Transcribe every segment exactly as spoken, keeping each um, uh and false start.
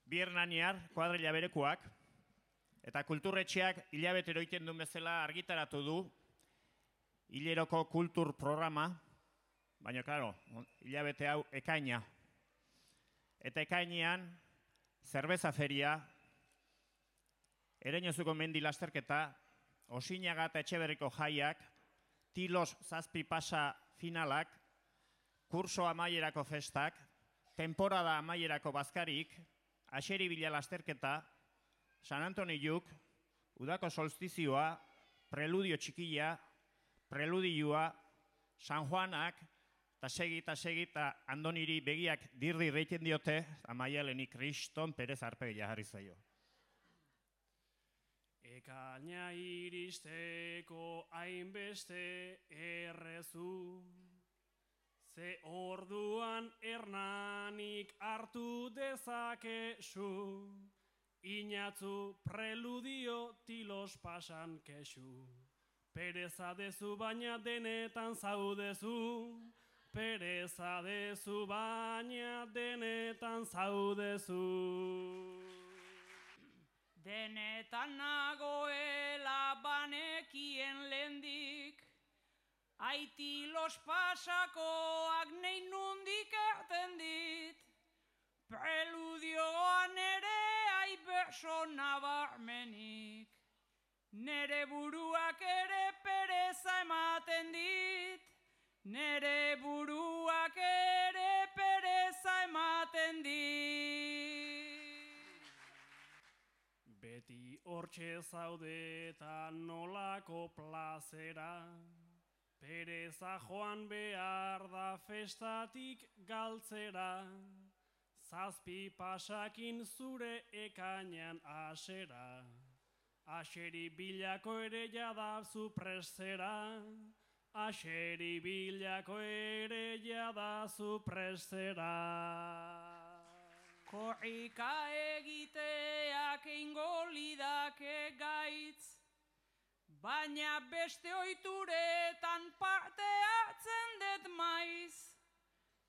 bi hernaniar, kuadrilla berekoak, eta kulturretxeak hilabetero egiten duen bezala argitaratu du hileroko kultur programa, baina, klaro, hilabete hau ekaina. Eta ekainean, zerbeza feria, Ereñozuko mendi lasterketa, Osinaga eta Etxeberriko jaiak, Tilos zazpi pasa finalak, kurso amaierako festak, temporada amaierako bazkarik, Axeri bila lasterketa, San Antoniuk, Udako solstizioa, Preludio txikia, Preludioa, San Juanak, eta segi eta segi eta Andoniri begiak dirdi reiten diote, Amaialeni Kriston Perez arpegia jarri zaio. Ekaina iristeko hainbeste errezu, ze orduan hernanik hartu dezakezu, inatzu preludio tilos pasan kesu. Pereza dezu baina denetan zaudezu, pereza dezu baina denetan zaudezu. Denetan nagoela banekien lendik, aitilos pasakoak nei nundik erten dit, preludioan ere aiberso nabarmenik, nere buruak ere pereza ematen dit, nere buruak ere pereza ematen dit. Beti hortxe zaude eta nolako plazera, pereza joan behar da festatik galtzera, zazpi pasakin zure ekainan asera, Axeri bilako ere jada zu prestera, Axeri bilako ere jada zu prestera. Korrika egiteak eingo lidake gaitz, baina beste ohituretan parte hartzen dut maiz.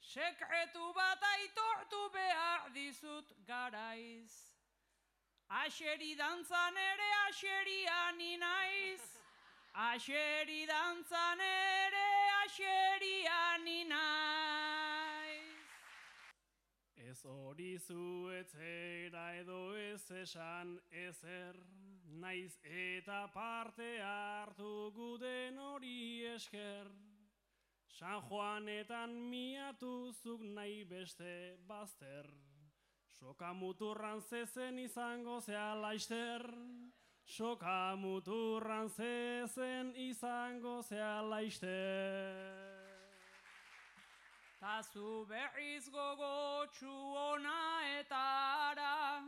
Sekretu bat aitortu behar dizut garaiz. Axeri dantzan ere axerian inaiz, Axeri dantzan ere axerian inaiz. Ez hori zuetzera edo ez esan ezer, naiz eta parte hartu guden hori esker. San Juanetan miatuzuk nahi beste bazter, soka muturran zezen izango zea laister, soka muturran zezen izango zea laister. Ta zu berriz gogotsu ona eta ara,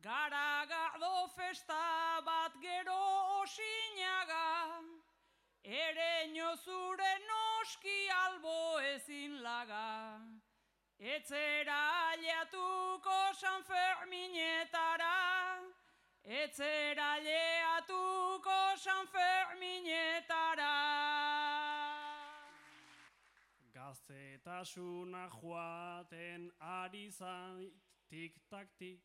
garagardo festa bat gero Osinaga, Ereñozure noski albo ezin laga, etzera aliatuko San Ferminetara, etzera aliatuko San Ferminetara. Gaztetasuna joaten ari zait tik-tak-tik,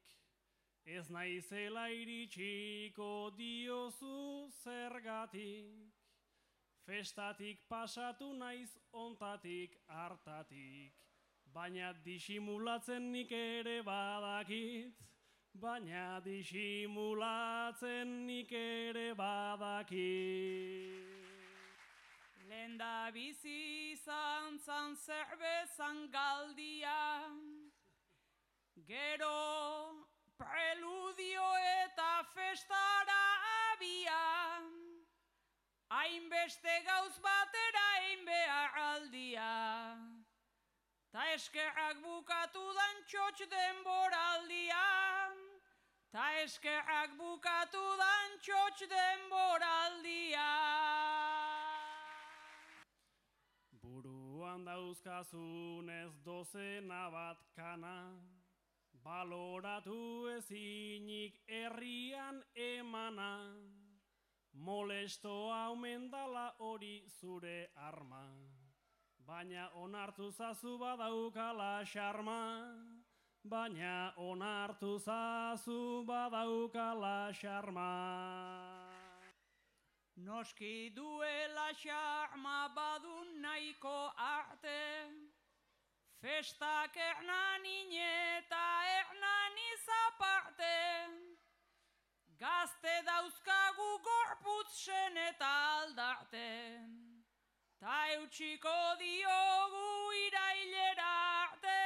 ez naizela iritsiko diozu zergatik, festatik pasatu naiz ontatik hartatik, baina disimulatzen nik ere badakit, baina disimulatzen nik ere badakit. Lenda bizi izan zan zerbezan galdia, gero preludio eta festara abia, hainbeste gauz batera egin behar aldia, ta eskerrak bukatu dan txotx denboraldia, ta eskerrak bukatu dan txotx denboraldia. Buruan dauzkazunez dozena bat kana, baloratu ezinik herrian emana, molestoa omen dala hori zure arma, baina onartu zazu badaukala xarma, baina onartu zazu badaukala xarma. Noski duela xarma badun nahiko arte, festak ernanin eta ernanin zaparte, gazte dauzkagu gorputzen eta aldarte, ta eutxiko diogu irailera arte,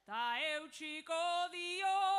ta eutxiko diogu